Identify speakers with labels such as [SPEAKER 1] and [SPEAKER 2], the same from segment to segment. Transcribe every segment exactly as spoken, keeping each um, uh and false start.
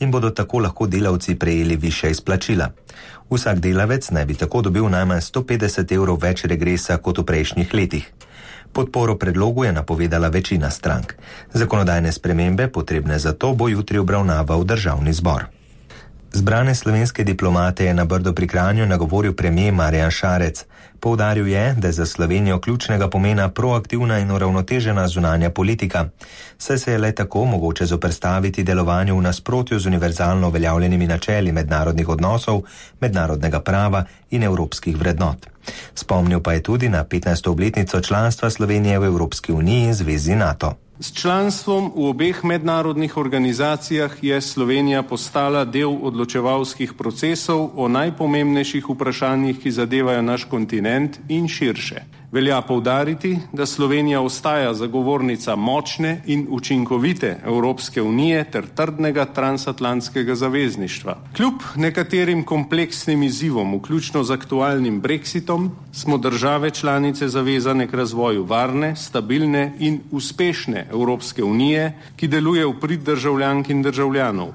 [SPEAKER 1] in bodo tako lahko delavci prejeli višja izplačila. Vsak delavec naj bi tako dobil najmanj sto petdeset evrov več regresa kot v prejšnjih letih. Podporo predlogu je napovedala večina strank. Zakonodajne spremembe, potrebne za to, bo jutri obravnaval Državni zbor. Zbrane slovenske diplomate je na Brdu pri Kranju nagovoril premier Marjan Šarec. Poudaril je, da je za Slovenijo ključnega pomena proaktivna in uravnotežena zunanja politika, saj se je le tako mogoče zoperstaviti delovanju v nasprotju z univerzalno uveljavljenimi načeli mednarodnih odnosov, mednarodnega prava in evropskih vrednot. Spomnil pa je tudi na petnajsto obletnico članstva Slovenije v Evropski uniji in zvezi NATO.
[SPEAKER 2] S članstvom v obeh mednarodnih organizacijah je Slovenija postala del odločevalskih procesov o najpomembnejših vprašanjih, ki zadevajo naš kontinent in širše. Velja poudariti, da Slovenija ostaja zagovornica močne in učinkovite Evropske unije ter trdnega transatlantskega zavezništva. Kljub nekaterim kompleksnim izzivom, vključno z aktualnim brexitom, smo države članice zavezane k razvoju varne, stabilne in uspešne Evropske unije, ki deluje v prid državljank in državljanov.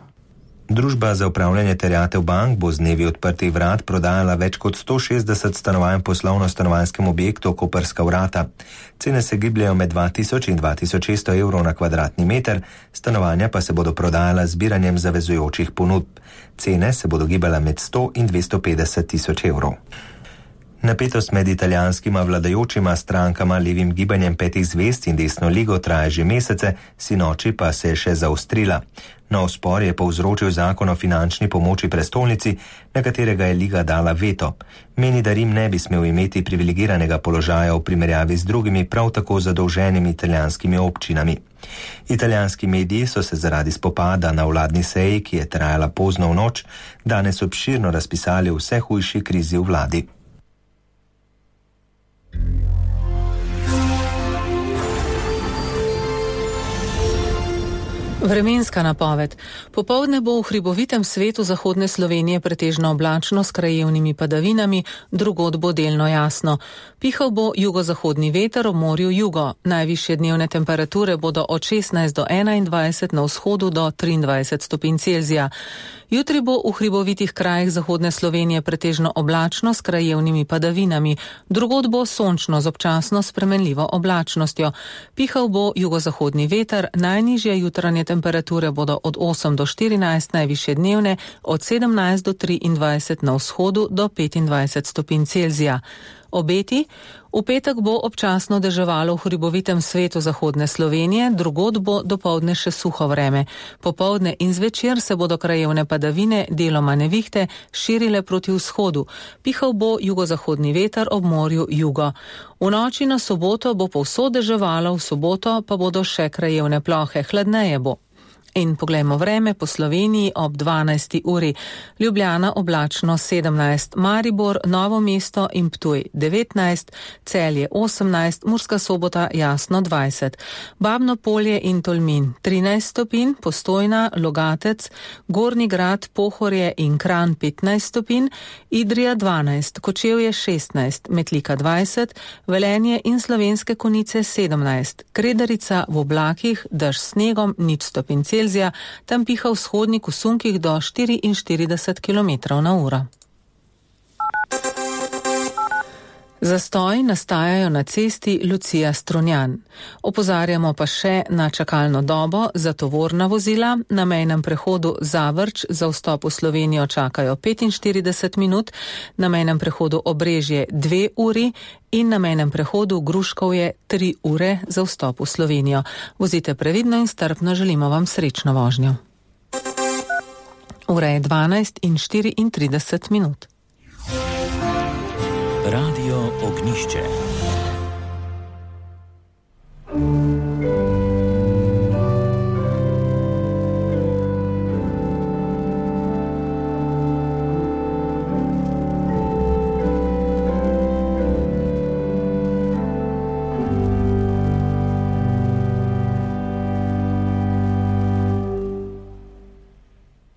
[SPEAKER 1] Družba za upravljanje terjatev bank bo z dnevi odprtih vrat prodajala več kot sto šestdeset stanovanj poslovno-stanovanjskem objektu Koprska vrata. Cene se gibljajo med dva tisoč in dva tisoč šeststo evrov na kvadratni meter, stanovanja pa se bodo prodajala z zbiranjem zavezujočih ponudb. Cene se bodo gibala med sto in dvesto petdeset tisoč evrov. Napetost med italijanskima vladajočima strankama, levim gibanjem petih zvezd in desno ligo traja že mesece, sinoči pa se je še zaostrila. Nov spor je povzročil zakon o finančni pomoči prestolnici, na katerega je liga dala veto. Meni, da Rim ne bi smel imeti privilegiranega položaja v primerjavi z drugimi prav tako zadolženimi italijanskimi občinami. Italijanski mediji so se zaradi spopada na vladni seji, ki je trajala pozno v noč, danes obširno razpisali o vse hujši krizi v vladi.
[SPEAKER 3] Vremenska napoved. Popoldne bo v hribovitem svetu zahodne Slovenije pretežno oblačno s krajevnimi padavinami, drugod bo delno jasno. Pihal bo jugozahodni veter, ob morju jugo. Najvišje dnevne temperature bodo od šestnajst do enaindvajset, na vzhodu do triindvajset stopinj Celzija. Jutri bo v hribovitih krajih zahodne Slovenije pretežno oblačno s krajevnimi padavinami, drugod bo sončno z občasno spremenljivo oblačnostjo. Pihal bo jugozahodni veter, najnižje jutranje temperature bodo od osem do štirinajst, najvišje dnevne od sedemnajst do triindvajset, na vzhodu do petindvajset stopinj Celzija. Obeti. V petek bo občasno deževalo v hribovitem svetu zahodne Slovenije, drugod bo dopoldne še suho vreme. Popoldne in zvečer se bodo krajevne padavine, deloma nevihte, širile proti vzhodu. Pihal bo jugozahodni veter, ob morju jugo. V noči na soboto bo povsod deževalo, v soboto pa bodo še krajevne plohe, hladneje bo. In poglejmo vreme po Sloveniji ob dvanajsti uri. Ljubljana oblačno sedemnajst, Maribor, Novo mesto in Ptuj devetnajst, Celje osemnajst, Murska Sobota jasno dvajset, Babno Polje in Tolmin trinajst stopinj, Postojna, Logatec, Gornji Grad, Pohorje in Kranj petnajst stopinj, Idrija dvanajst, Kočevje šestnajst, Metlika dvajset, Velenje in Slovenske Konjice sedemnajst, Kredarica v oblakih, dež s snegom nič stopinj Celzija, tam piha vzhodnik v sunkih do štiriinštirideset kilometrov na uro. Zastoj nastajajo na cesti Lucija Strunjan. Opozarjamo pa še na čakalno dobo za tovorna vozila. Na mejnem prehodu Zavrč za vstop v Slovenijo čakajo petinštirideset minut, na mejnem prehodu Obrežje dve uri in na mejnem prehodu Gruškovje tri ure za vstop v Slovenijo. Vozite previdno in strpno, želimo vam srečno vožnjo. Ura je dvanajst in štiriintrideset minut.
[SPEAKER 4] Radio Ognišče.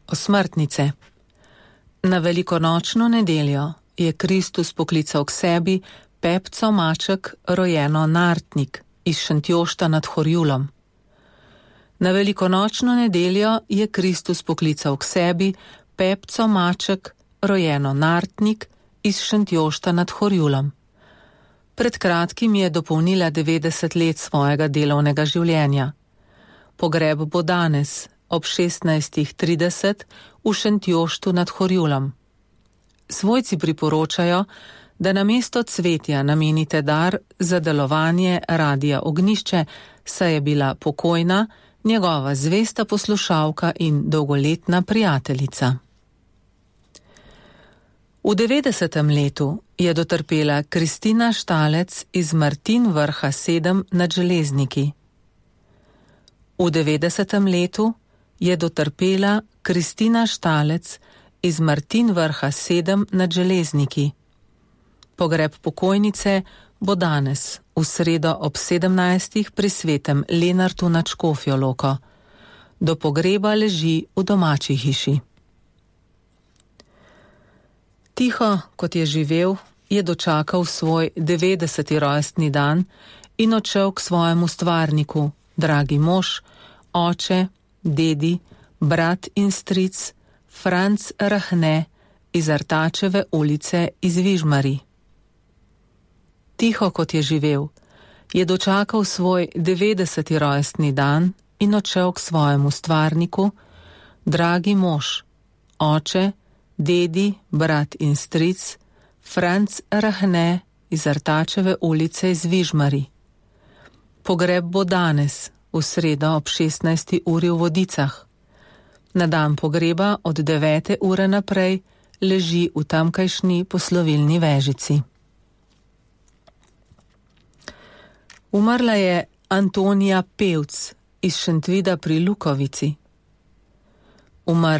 [SPEAKER 3] Osmrtnice. Na velikonočno nedeljo je Kristus poklical k sebi Pepco Maček, rojeno Nartnik, iz Šentjošta nad Horjulom. Na velikonočno nedeljo je Kristus poklical k sebi Pepco Maček, rojeno Nartnik, iz Šentjošta nad Horjulom. Pred kratkim je dopolnila devetdeset let svojega delovnega življenja. Pogreb bo danes ob šestnajstih trideset v Šentjoštu nad Horjulom. Svojci priporočajo, da namesto cvetja namenite dar za delovanje Radia Ognjišče, saj je bila pokojna njegova zvesta poslušalka in dolgoletna prijateljica. V devetdesetem letu je dotrpela Kristina Štalec iz Martin Vrha sedem nad Železniki. V devetdesetem letu je dotrpela Kristina Štalec iz Martin Vrha sedem nad Železniki. Pogreb pokojnice bo danes, v sredo ob sedemnajstih pri svetem Lenartu nad Škofjo Loko. Do pogreba leži v domači hiši. Tiho, kot je živel, je dočakal svoj devetdeseti rojstni dan in odšel k svojemu stvarniku, dragi mož, oče, dedi, brat in stric, Franc Rahne iz Artačeve ulice iz Vižmari. Tiho, kot je živel, je dočakal svoj devetdeseti rojstni dan in odšel k svojemu stvarniku, dragi mož, oče, dedi, brat in stric, Franc Rahne iz Artačeve ulice iz Vižmari. Pogreb bo danes, v sredo ob šestnajsti uri v Vodicah. Na dan pogreba od devete ure naprej leži v tamkajšnji poslovilni vežici. Umrla je Antonija Pevc iz Šentvida pri Lukovici. Umrla